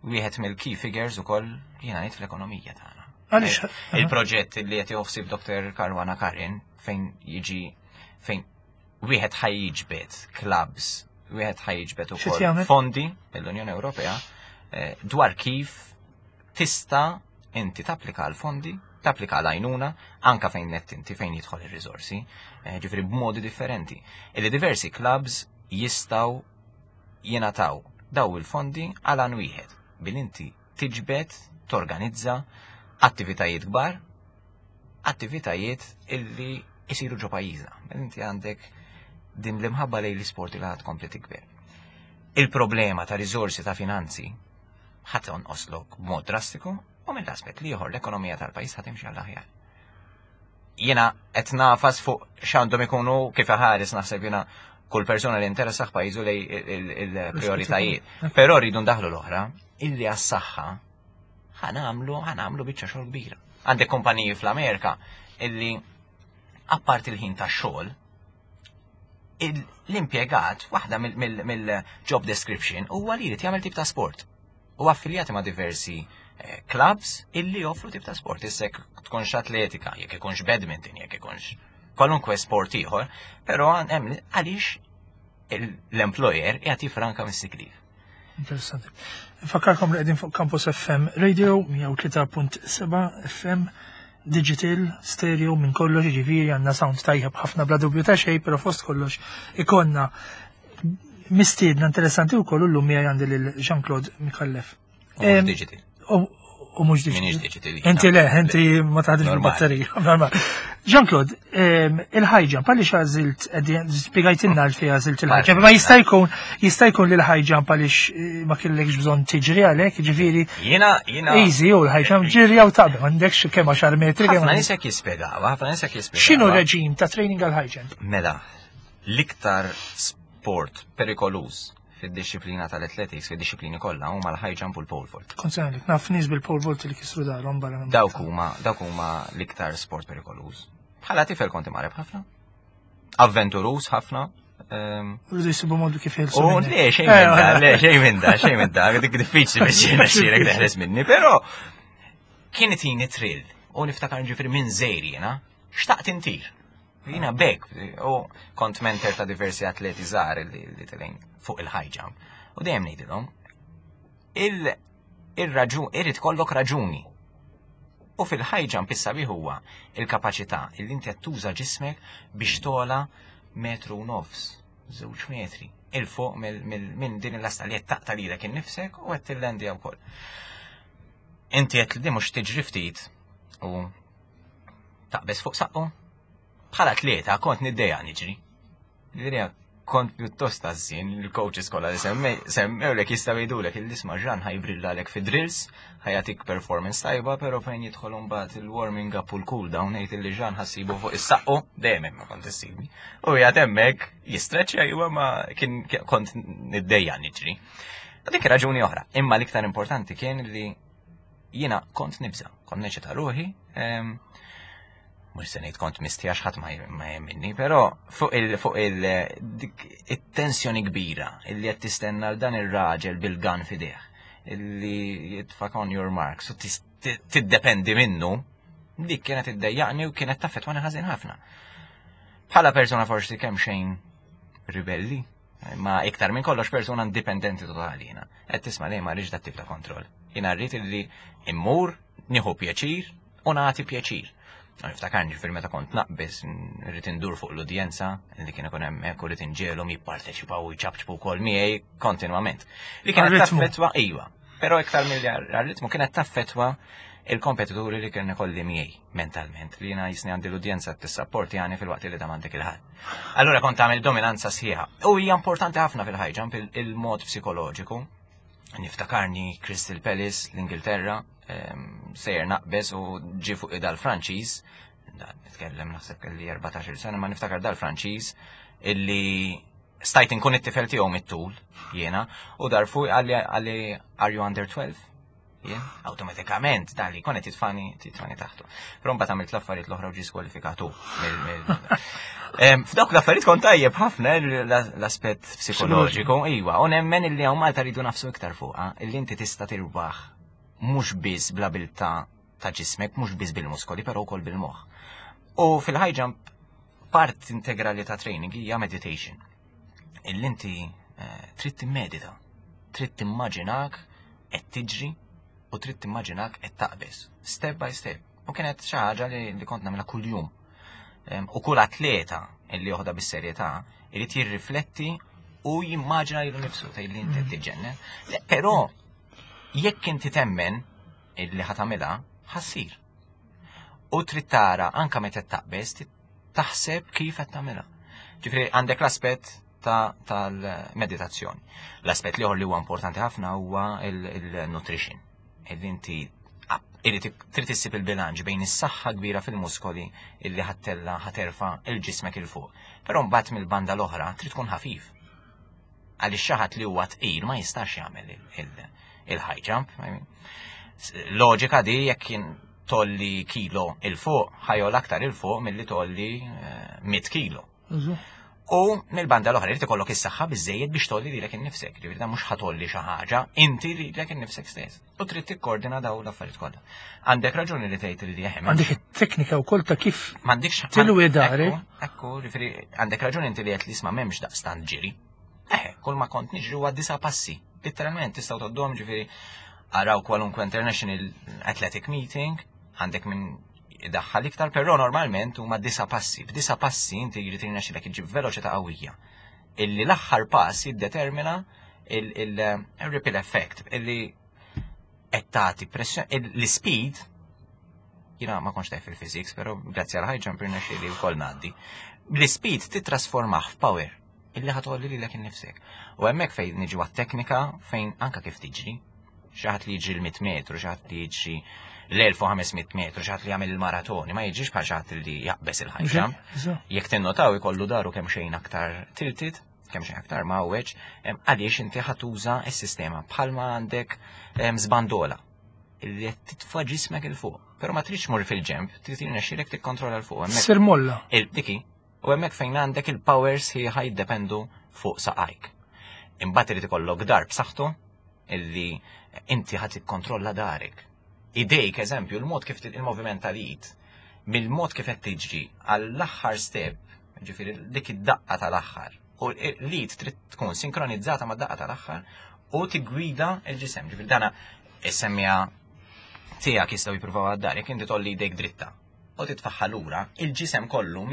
wieħed mill-key figures ukoll jiena ngħid fl-ekonomija tagħna. Għaliex il-proġett li qed joħsib Dr. Karwana Karin fejn jiġi fejn wieħed ħajjiġbed clubs, wieħed ħajjiġbed ukoll fondi mill-Unjoni Ewropea eh, dwar kif tista' inti tapplika għal fondi, tapplika għal għajnuna, anka fejn net inti fejn jidħol ir-riżorsi, eh, ġifieri b'modi differenti. Illi diversi clubs jistgħu jingħataw daw il-fondi għal għan wieħed bil inti tiġbed, torganizza attivitajiet kbar attivitajiet illi jisiru ġo pajjiżna. Inti għandek din l-imħabba lejn l-isport li ħad kompli tikber. Il-problema ta' riżorsi ta' finanzi ħadd onqoslok b'mod drastiku u mill-aspett li ieħor l-ekonomija tal-pajjiż ħad timxi għall-aħjar. Jiena qed nafas fuq x'għandhom ikunu kif ħares naħseb jiena kull persuna li interessaħ pajjiżu lej il-prioritajiet. Però rridu ndaħlu l-oħra illi għas-saħħa ħanamlu ħanamlu biċċa xogħol kbira. Għandek kumpaniji fl-Amerika illi apparti il-ħin tax-xogħol l-impjegat waħda mill-job description huwa li jrid jagħmel tip ta' sport. U affiljati ma' diversi eh, clubs illi joffru tip ta' sport. Issa jekk tkunx atletika, jekk ikunx badminton, jekk ikunx kwalunkwe sport ieħor, però hemm għaliex l-employer qiegħed jifranka mis-sick leave. Interessanti. Nfakkarkom li qegħdin fuq Campus FM Radio 103.7 FM digital, stereo, minn kollox, ġifieri għandna sound tajjeb ħafna bla dubju ta' xejn, però fost kollox ikonna mistiedna interessanti wkoll illum miegħi għandi lil Jean-Claude Micallef. Digital. U mhux digital. Inti le, inti ma taħdimx bil-batterija. Normal. Jean-Claude, il-high jump, għaliex għażilt, spjegajtilna għalfejn għażilt il-high jump, ma jista' jkun jista' jkun li l-high jump għaliex eh, ma kellekx bżonn tiġri għalhekk, ġifieri. Jiena jiena. Easy u l-high jump ġiri jew taqbel, m'għandekx kemm 10 metri. Ħafna nies hekk jispjegaw, ħafna nies hekk jispjegaw. X'inhu reġim ta' training għal high jump? Mela, l-iktar sport perikoluż. fid-dixxiplina tal-athletics, fid-dixxiplini kollha huma l-high jump u l-pole vault. Kont se ngħidlek, naf nies bil-pole vault li kisru darhom barra minn Dawk huma dawk huma l-iktar sport perikoluż. Bħala tifel kont imqareb ħafna. Avventuruż ħafna. Ehm, Rridu jisibu modu kif jilsu. U le, xejn minn da, le, xejn minn da, xejn minn da, dik diffiċli biex jirnexxielek teħles minni, però kien itini trill u niftakar ġifieri minn żejr jiena, xtaqt intir. Jiena bek, u kont mentor ta' diversi atleti żgħar li, li telgħin fuq il-high jump. U dejjem ngħidilhom, il-raġun, irid kollok raġuni. U fil-high jump issa bi huwa il-kapaċità li inti qed tuża ġismek biex tola metru u nofs, żewġ metri, il fuq minn din il-lasta li qed taqta' lilek innifsek u qed tillendja wkoll. Inti qed li mhux tiġri ftit u taqbeż fuq saqqu. Bħala atleta kont niddejja niġri. Niddejja kont pjuttost għażżien il-coaches kollha li semmewlek jistgħu jgħidulek il-isma' Ġan ħajbrillalek fi drills, ħajatik performance tajba, però fejn jidħol mbagħad il-warming up u l-cool down ngħid illi Ġan ħassibu fuq is-saqqu, dejjem hemm ma kont issibni. U qiegħed hemmhekk jistreċċja iwa ma kien kont niddejja niġri. Dik raġuni oħra, imma l-iktar importanti kien li Jiena kont nibża, kont neċita ruħi, mhux se ngħid kont misti għax ħadd ma jemminni, però fuq il fuq il it-tensjoni kbira illi qed tistenna l dan ir-raġel bil-gan fideh illi jitfak on your marks u tiddependi minnu, dik kienet iddejjaqni u kienet taffettwani ħażin ħafna. Bħala persona forsi kemm xejn ribelli, Ma iktar minn kollox persuna indipendenti totali jiena. Qed tisma' li ma rridx dat tip ta' kontroll. Jiena rrid illi immur, nieħu pjaċir u nagħti pjaċir. Niftakarni ġifieri meta kont naqbeż rrid indur fuq l-udjenza li kien ikun hemmhekk u rrid inġielhom jipparteċipaw u jċapċpu wkoll miegħi kontinwament. Li kienet taffettwa iva, però iktar milli għar-ritmu kienet taffettwa il-kompetituri li kien ikolli miegħi mentalment li jiena jisni għandi l-udjenza tissapporti għani fil-waqt li da m'għandek il-ħadd. Allura kont tagħmel dominanza sħiħa. U hija importanti ħafna fil-high jump il-mod psikoloġiku. Niftakarni Crystal Palace l-Ingilterra, ehm, sejjer naqbeż u ġi fuq dal-Franċiż, nitkellem naħseb kelli 14 sena, ma niftakar dal-Franċiż illi stajt inkun it-tifel tiegħu mit-tul jiena u dar fuq għalli are you under 12? Jien, awtomatikament, dan li konet jitfani, titfani taħtu. Però mbagħad għamilt l-affarijiet l-oħra u ġie skwalifikatu. F'dawk l-affarijiet kont tajjeb ħafna l-aspett psikoloġiku, iwa, u nemmen illi hawn Malta rridu nafsu iktar fuqha, illi inti tista' tirbaħ mhux biss bl-abilità ta' ġismek, mhux biss bil-muskoli, però wkoll bil-moħħ. U fil-high jump part integrali ta' training hija meditation. Illi inti eh, trid timmedita, trid timmaġinak qed tiġri u trid timmaġinak qed taqbeż, step by step. U kienet xi ħaġa li, li kont nagħmilha kuljum. U kull atleta li joħda bis-serjetà irid jirrifletti u jimmaġina lilu nifsu tgħid li inti mm. tiġġennen. Però jekk inti temmen illi ħatamilha, ħassir. U trid tara anka meta taqbeż taħseb kif qed tagħmilha. Ġifieri għandek l-aspett tal-meditazzjoni. L-aspett li li huwa importanti ħafna huwa il-nutrition. Illi inti trid issib il-bilanċ bejn is-saħħa kbira fil-muskoli illi ħattella ħaterfa il-ġismek il fuq. Però mbagħad mill-banda l-oħra trid tkun ħafif. Għaliex xi ħadd li huwa tqil ma jistax jagħmel il-high jump. Loġika di jekk kien tolli kilo il fuq, ħajol aktar il fuq milli tolli 100 eh, kilo. U mill-banda l-oħra irid ikollok is-saħħa biżejjed biex tolli lilek innifsek. Ġifieri dan mhux ħatolli xi ħaġa, inti lilek innifsek stess. U trid tikkoordina daw l-affarijiet kollha. Għandek raġuni li tgħid li jeħem. Għandek it-teknika wkoll ta' kif m'għandekx tilwi dari. Ekku, ġifieri għandek raġuni inti li qed li isma' m'hemmx daqstant ġiri. Eħe, kull ma kont niġri huwa disa' passi. Literalment tistgħu toddhom ġifieri araw kwalunkwe International Athletic Meeting, għandek minn idaħħal iktar, però normalment huma disa passi. B'disa passi inti jrid irnexxilek iġib veloċità qawwija. Illi l-aħħar pass jiddetermina il-ripple effect, illi qed tagħti pressjoni, l-speed jiena ma kontx tajf fil-physics, però grazzi għal high jump irnexxieli wkoll ngħaddi. L-speed titrasformah f'power illi ħatolli lilek innifsek. U hemmhekk fejn niġu għat-teknika fejn anka kif tiġri, xi ħadd li jiġri l-100 metru, xi ħadd li jiġri l-1500 metru, xi ħadd li jagħmel il-maratoni, ma jiġrix bħal xi ħadd li jaqbeż il-high jump. Jekk tinnotaw ikollu daru kemm xejn aktar tilted, kemm xejn aktar mgħawweġ, għaliex inti ħa tuża s-sistema bħalma għandek żbandola li qed titfa' ġismek 'il fuq. Però ma tridx tmur fil-ġenb, trid jirnexxielek tikkontrolla 'l fuq. Hemmhekk Sir molla. Il-diki, u hemmhekk fejn għandek il-power sħiħa jiddependu fuq saqajk. Imbagħad irid ikollok dar b'saħħtu illi inti ħadd tikkontrolla darek. Idejk, eżempju, il-mod kif il-moviment tal-id, mill-mod kif qed tiġri għall-aħħar step, ġifieri dik id-daqqa tal-aħħar, u l-id trid tkun sinkronizzata ma' daqqa tal-aħħar u tiggwida l-ġisem. Ġifieri dana is-semmija tiegħek jistgħu jippruvaw għad-dar, jekk inti tolli jdejk dritta u titfaħħa lura, il-ġisem kollu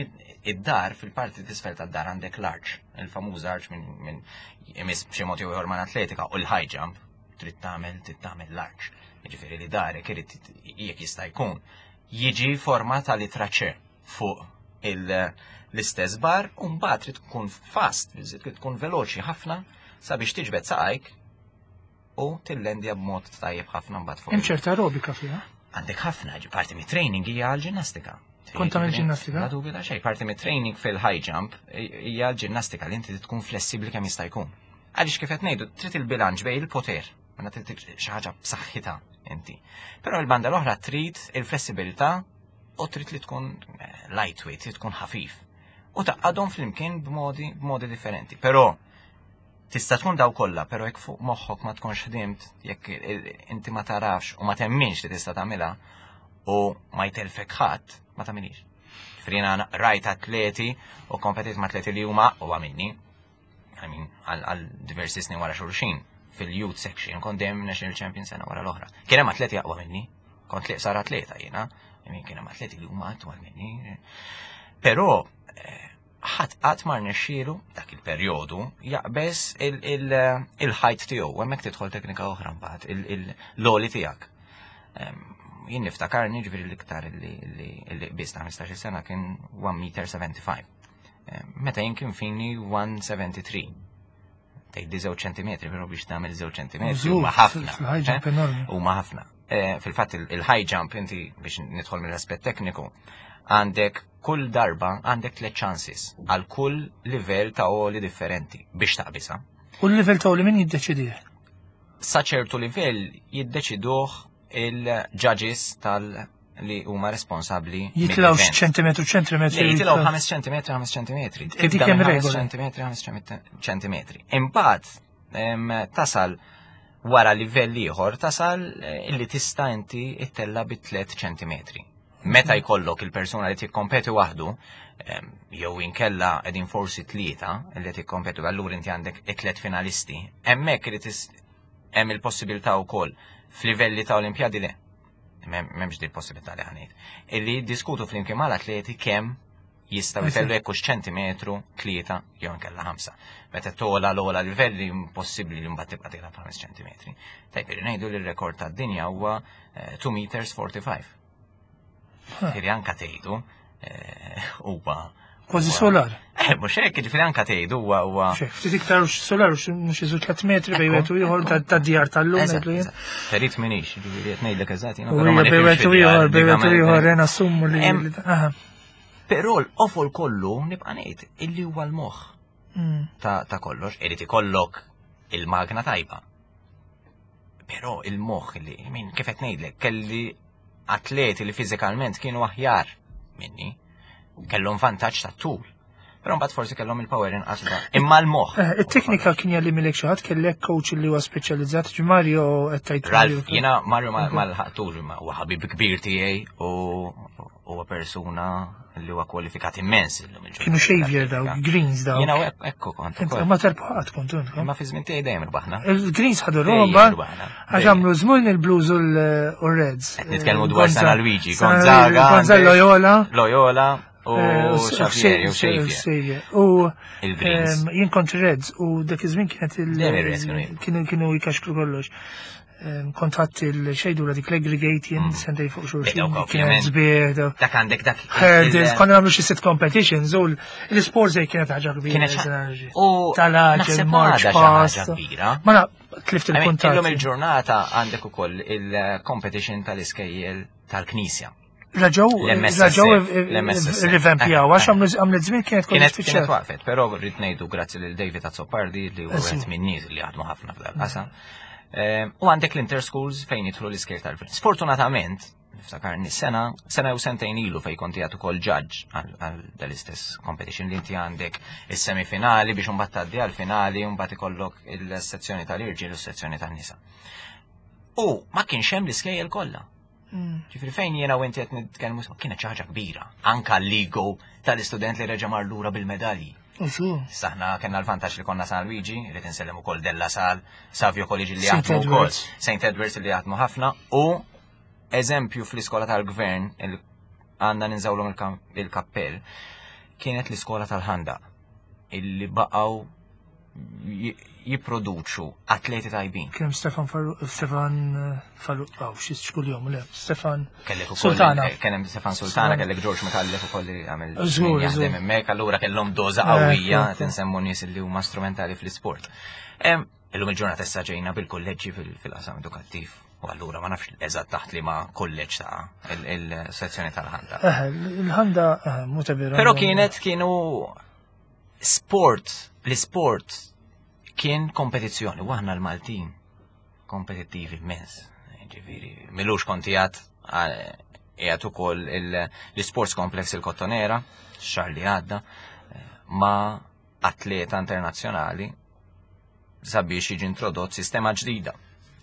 id-dar fil-parti t'isfel tad-dar għandek l-arch, il-famuż arch minn imiss b'xi mod jew ieħor mal-atletika u l-high jump, trid tagħmel trid tagħmel l-arch. Jiġifieri li darek irid jekk jista' jkun jiġi forma ta' litra C fuq l-istess bar u mbagħad trid tkun fast, trid tkun veloċi ħafna sabiex tiġbed saqajk u tillendja b'mod tajjeb ħafna mbagħad fuq. Hemm ċerta aerobika fiha. Għandek ħafna, parti mit-training hija għall-ġinnastika. Kont tagħmel ġinnastika? La dubju ta' xejn, parti mit-training fil-high jump hija l-ġinnastika li inti tkun flessibbli kemm jista' jkun. Għaliex kif qed ngħidu, trid il-bilanċ bejn il-poter, mela trid xi ħaġa b'saħħitha inti. Però l-banda l-oħra trid il-flessibilità u trid li tkun eh, lightweight, trid tkun ħafif. U taqgħadhom flimkien b'modi b'modi differenti. Però Tista' tkun daw kollha, però jekk fuq moħħok ma tkunx ħdimt, jekk inti ma tarafx u ma temminx li tista' tagħmilha u ma jtelfek ħadd, ma tagħmilix. Frina rajt atleti u kompetit ma' atleti li huma aqwa minni, I mean, għal diversi snin wara xulxin fil-youth section, kont dejjem national champion sena wara l-oħra. Kien hemm atleti aqwa minni, kont li sar atleta jiena, I mean, kien hemm atleti li huma atwal minni. Però eh, ħadd qatt ma rnexxielu dak il-perjodu jaqbeż il-ħajt tiegħu, hemmhekk tidħol teknika oħra mbagħad, l-għoli tiegħek. Jien niftakarni ġifieri l-iktar li qbiż ta' 15-il sena kien 1 meter 75. Meta jien kien fini 173. Tgħidli żewġ ċentimetri, però biex tagħmel żewġ ċentimetri huma ħafna. Eh? Huma ħafna. Eh, fil-fatt il-high jump inti biex nidħol mill-aspett tekniku, għandek kull darba għandek tliet chances għal kull livell ta' oli differenti biex taqbisa. U l-livell ta' oli min jiddeċidih? Sa ċertu livell jiddeċiduh il-judges tal li huma responsabbli. Jitilgħu ċentimetru ċentimetru. Jitilgħu 5 ċentimetri 5 ċentimetri. Tibda minn 5 ċentimetri 5 ċentimetri. Imbagħad tasal wara livell ieħor tasal eh, illi tista' inti ittella bi 3 ċentimetri. Meta jkollok il-persuna li tikkompeti waħdu, jew inkella qegħdin forsi tlieta li tikkompetu, allura inti għandek it-tliet finalisti, hemmhekk irid hemm il-possibilità wkoll f'livelli ta' Olimpjadi le. M'hemmx din il-possibilità li ħanejt. Illi jiddiskutu flimkien mal-atleti kemm jistgħu jtellu jekk hux ċentimetru, tlieta jew inkella ħamsa. Meta tola l-ogħla livelli impossibbli li mbagħad tibqa' tilgħab ħames ċentimetri. Tajb irri ngħidu li r-rekord tad-dinja huwa 2 eh, meters 45. Ġifieri anka tgħidu eh, huwa Kważi solar. Eh, mhux hekk, ġifieri anka tgħidu huwa huwa. Ftit iktar solar mhux iżu 3 metri bejn wieħed u ieħor ta' djar tal-lum ngħidlu jien. Perit minix, ġifieri qed ngħidlek eżatt jiena. Bejn wieħed u ieħor, bejn wieħed u ieħor nassumu li. Però l-qofol kollu nibqa' ngħid illi huwa l-moħħ mm. ta' kollox, irid ikollok il-magna tajba. Però il-moħħ li, min kif qed ngħidlek, kelli atleti li fiżikalment kienu aħjar minni, kellhom vantaġġ ta' tul. Però mbagħad forsi kellhom il-power inqas Imma l-moħħ. Eh, it-teknika kien jalli milek xi ħadd kellek coach li huwa speċjalizzat ġi Mario qed tgħid. Ralf, jiena Mario ma lħaqtux imma huwa ħabib kbir tiegħi u huwa persuna li huwa kwalifikat immens illum il Kienu Xavier daw, Greens daw. Jiena ekku kont. Ma terbaħat kont intkom. Imma fi żmien tiegħi dejjem irbaħna. Il-Greens ħadu Roma għax għamlu żmien il-Blues u l-Reds. Nitkellmu dwar San Luigi, Gonzaga. Gonzaga Loyola. Loyola. U eh, Xavier, u Xavier. U jien kont Reds u dak iż-żmien kienet il- kienu jkaxkru kollox. Kont ħadd il-xejdu la dik l-aggregate jien mm. sentej fuq xulxin. Kienet sbieħ. Dak għandek dak. Hurdles, konna nagħmlu xi sit competitions u l-isport zej kienet ħaġa kbira. U tal-ħaġa march past. Ma na, tlift il-kuntat. Illum il-ġurnata għandek ukoll il-competition tal-iskejjel tal-Knisja. Raġaw, raġaw rivampjaw, għax għamlet żmien kienet kienet kienet waqfet, però rrid ngħidu grazzi lil David Azzopardi li huwa wieħed minn nies li jaħdmu ħafna f'dal-qasam. Ehm, u għandek l-interschools fejn jidħlu l-iskejl tal Sfortunatament, niftakar sena, sena jew sentejn ilu fejn konti għatu kol judge għal dal-istess competition li inti għandek is-semifinali biex mbagħad tgħaddi għal-finali u mbagħad ikollok il-sezzjoni tal-irġiel u s-sezzjoni tan-nisa. U ma kienx hemm l-iskejjel kollha. Ġifieri fejn jiena u inti qed nitkellmu kienet xi ħaġa kbira. Anka l-ego tal-istudent li reġa' mar lura bil-medalji. Saħna kellna l-vantaġġ li konna San Luigi, li tinsellem ukoll Della Sal, Savio College li jaħdmu wkoll, St. Edwards li jaħdmu ħafna u eżempju fl-iskola tal-gvern għandna ninżawlhom il-kappell kienet l-iskola tal-ħanda illi baqgħu jipproduċu atleti tajbin. Kien Stefan Farru, Stefan eh, Farru, aw, xi kuljom, le, Stefan Sultana. Eh, kien hemm Stefan Sultana, kellek George Micallef ukoll li għamel jaħdem hemmhekk, allura kellhom doża eh, qawwija qed insemmu nies li huma strumentali fl-isport. Illum il-ġurnata issa ġejna bil-kolleġġi fil-qasam edukattiv. U allura ma nafx eżatt taħt li ma kolleġġ ta' il-sezzjoni tal-ħanda. Il-ħanda mhu Però kienet kienu Sport, l-isport kien kompetizzjoni, u aħna l-Maltin kompetittivi immens. Ġifieri, milux konti għad qiegħed ukoll l-Sports Complex il-Kottonera, xahar li għadda, ma' atleta internazzjonali sabiex jiġi introdott sistema ġdida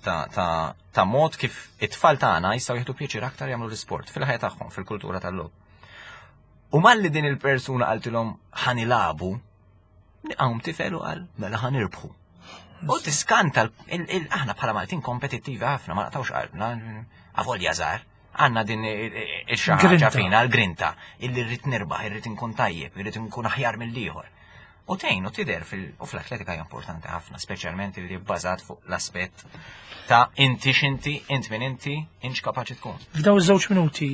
ta', ta, ta mod kif it-tfal tagħna jistgħu jieħdu pjaċir aktar jagħmlu l-isport fil-ħajja tagħhom, fil-kultura tal-logħob. U malli din il-persuna qaltilhom ħa nilagħbu, għawm tifel u qal mela ħa nirbħu. U tiskanta aħna bħala Maltin kompetittivi ħafna ma naqtawx qalbna, avolja żgħar, għandna din il-xi fina l-grinta illi rrid nirbaħ, irrid inkun tajjeb, irrid inkun aħjar mill-ieħor. U tgħin u tidher u fl-atletika hija importanti ħafna, speċjalment li bbażat fuq l-aspett ta' inti x'inti, int min inti, inx kapaċi tkun. F'daw iż-żewġ minuti,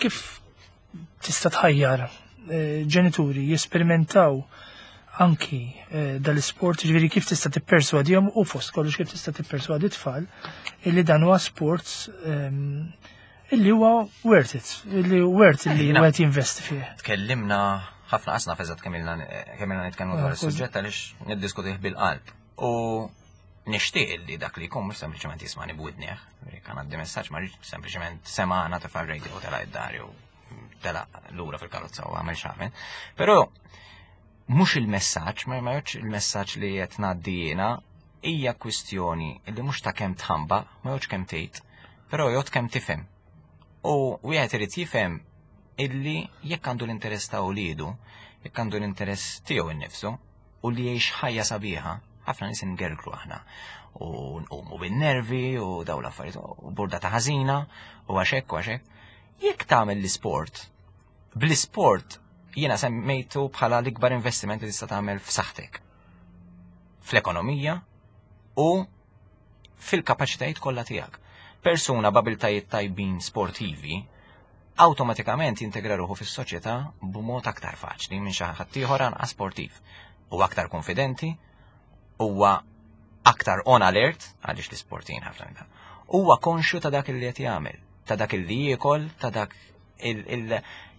kif tista' tħajjar eh, ġenituri jesperimentaw anki eh, dal-isport, ġifieri kif tista' tipperswadihom u fost kollox kif tista' tipperswadi tfal illi dan huwa sport ehm, illi huwa worth it, illi worth illi eh, wieħed jinvesti fih. Tkellimna ħafna qasna feżat kemm ilna nitkellmu dwar ah, is-suġġett għaliex niddiskutih bil-qalb. U nixtieq li dak li jkun mhux sempliċement jismani b'widnieh, kan għaddi messaġġ ma rridx sempliċement semana tefa' radio u tela' id-dar jew tela' lura fil-karozza u għamel x'għamel. Però mhux il-messaġġ, ma jgħodx il-messaġġ li qed ngħaddi jiena, hija kwistjoni li mhux ta' kemm tħamba, ma jgħodx kemm tgħid, però jgħod kemm tifhem. U wieħed irid jifhem illi jekk għandu l-interess ta' uliedu, jekk għandu l-interess tiegħu innifsu, u li jgħix ħajja sabiħa, ħafna nies ingergru aħna u nqumu bin-nervi u daw l-affarijiet u burdata ħażina u għaxek u għaxek. Jekk tagħmel l-isport, bl-isport jiena semmejtu bħala l-ikbar investiment li tista' tagħmel f'saħħtek. Fl-ekonomija u fil-kapaċitajiet kollha tiegħek. Persuna b'abiltajiet tajbin sportivi awtomatikament jintegra ruħu fis-soċjetà b'mod aktar faċli minn xi ħadd ieħor anqas sportiv. Huwa aktar konfidenti, huwa aktar on alert, għaliex l-isportin ħafna minn Huwa konxju ta' dak li qed jagħmel, ta' dak li jiekol, ta' dak il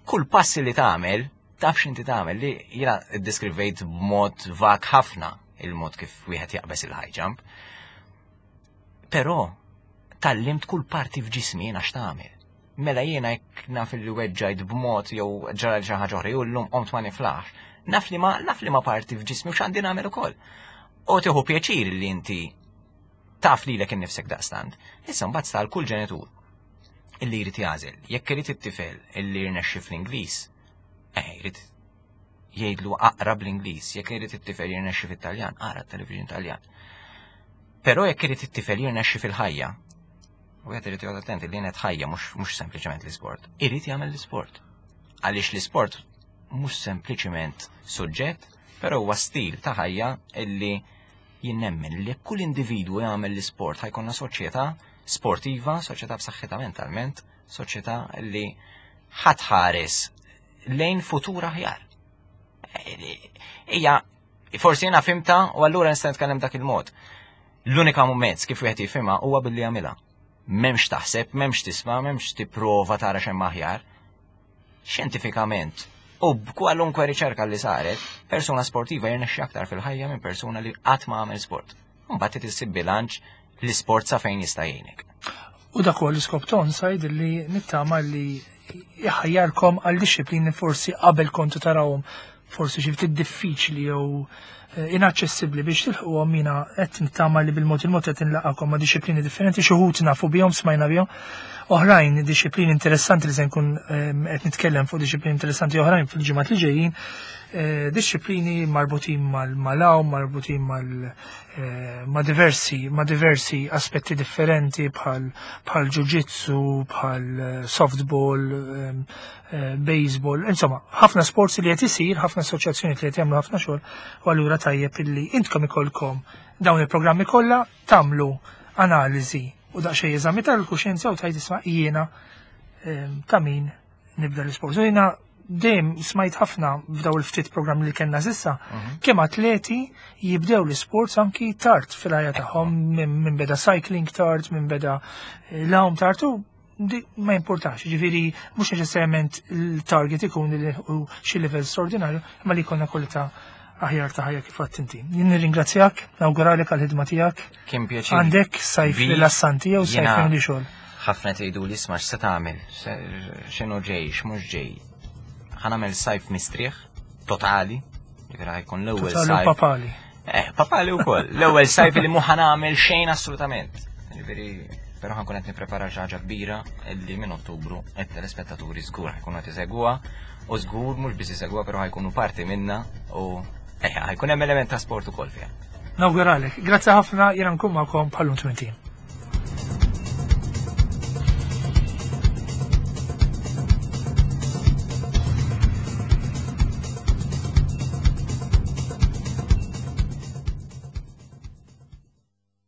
kull passi li tagħmel, taf x'inti tagħmel li jiena ddeskrivejt b'mod vak ħafna il-mod kif wieħed jaqbeż il-high jump. Però tallimt kull parti f'ġismi jiena x'tagħmel. Mela jiena jekk naf li weġġajt b'mod jew ġara xi ħaġa oħra jew llum qomt ma niflaħx, naf li ma naf li ma parti f'ġismi u x'għandi nagħmel ukoll. U tieħu pjaċir li inti taf lilek innifsek daqstant. Issa mbagħad stal kull ġenitur illi jrid jagħżel. Jekk irid it-tifel illi jirnexxi fl-Ingliż, eh jrid jgħidlu aqra bl-Ingliż, jekk irid it-tifel jirnexxi fit-Taljan, aqra t-television Taljan. Però jekk irid it-tifel jirnexxi fil-ħajja, u qed irid joqgħod attenti li qed ħajja mhux sempliċement l-isport, irid jagħmel l-isport. Għaliex l-isport mhux sempliċement suġġett, però huwa stil ta' ħajja illi jien nemmen li kull individwu jagħmel l-isport ħajkonna soċjetà sportiva, soċjetà b'saħħitha mentalment, soċjetà li ħatħares lejn futur aħjar. Ija, forsi jiena fimta u allura nista' nitkellem dak il-mod. L-unika mezz kif wieħed jifhimha huwa billi jagħmilha. M'hemmx taħseb, m'hemmx tisma', m'hemmx tipprova tara x'hemm aħjar. Xjentifikament, u b'kwalunkwe riċerka li saret, persuna sportiva jirnexxi aktar fil-ħajja minn persuna li qatt ma għamel sport. Mbagħad trid issib bilanċ l-isport sa fejn jista' jgħinek. U dak huwa l-iskop ta' Onside li nittama li jħajjarkom għal dixxiplini forsi qabel kontu tarawhom forsi xi ftit diffiċli jew eh, inaċċessibbli biex tilħquhom jiena qed nittama li bil-mod il-mod qed inlaqakom ma' dixxiplini differenti xi wħud nafu bihom smajna bihom. Oħrajn dixxiplini interessanti li se nkun ehm, qed nitkellem fuq dixxiplini interessanti oħrajn fil-ġimgħat li ġejjin, eh, dixxiplini marbutin mal-għawm, marbutin mal eh, ma' diversi ma' diversi aspetti differenti bħal bħal ġuġitsu, bħal softball, ehm, Eh, baseball, insomma, ħafna sports li qed isir, ħafna assoċjazzjoni li qed jagħmlu ħafna xogħol, u allura tajjeb illi intkom ikolkom dawn il-programmi kollha tagħmlu analiżi u daqsxejn eżami tal-kuxjenza u tajt isma' jiena ehm, ta' min nibda l-isport. U jiena dejjem smajt ħafna f'daw il-ftit programmi li kellna sissa, mhm. kemm atleti jibdew l-isports anki tard fil-ħajja tagħhom minn beda cycling tard, minn beda eh, l-għawm tard u ma jimpurtax, ġifiri mhux neċessarjament il-target ikun li xi livell straordinarju, imma li jkollna kwalità aħjar ta' ħajja kif għadt inti. Jien nirringrazzjak, nawguralek għall-ħidma tiegħek. Kien pjaċir. Għandek sajf rilassanti jew sajf li xogħol. Ħafna tgħidu li isma' x'se tagħmel, x'inhu ġej, x'mhux ġej. Ħa nagħmel sajf mistrieħ totali, ġifieri ħajkun l-ewwel sajf. Papali. Eh, papali wkoll. L-ewwel sajf li mhu ħanagħmel xejn assolutament. Ġifieri, però ħankun qed nipprepara xi ħaġa kbira illi minn Ottubru qed telespettaturi żgur ħajkunu qed isegwuha u żgur mhux biss isegwuha però ħajkunu parti minna u eh, ħajkun hemm element ta' sport ukoll fiha. Nawguralek. Grazzi ħafna jiena nkun magħkom bħallum 20.